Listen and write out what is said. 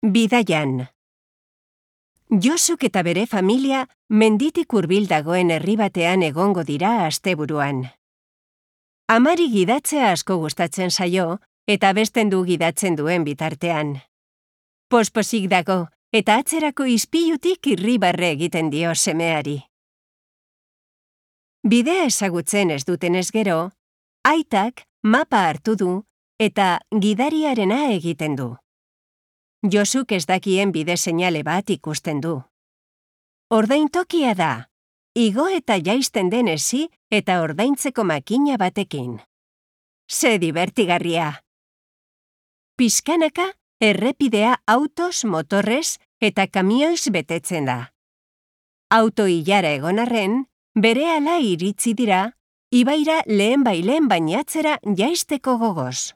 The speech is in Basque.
Bidaian. Josuk eta bere familia menditik hurbil dagoen herri batean egongo dira asteburuan. Amari gidatzea asko gustatzen zaio eta abesten du gidatzen duen bitartean. Posposik dago eta atzerako ispilutik irribarre egiten dio semeari. Bidea ezagutzen ez dutenez gero, aitak mapa hartu du eta gidariarena egiten du. Josuk ez dakien bide seinale bat ikusten du. Ordaintokia da, igo eta jaisten den hesi eta ordaintzeko makina batekin. Ze divertigarria! Pixkanaka, errepidea autoz, motorrez eta kamioiz betetzen da. Auto ilara egon arren, berehala iritsi dira, ibaira lehen bainatzera jaisteko gogoz.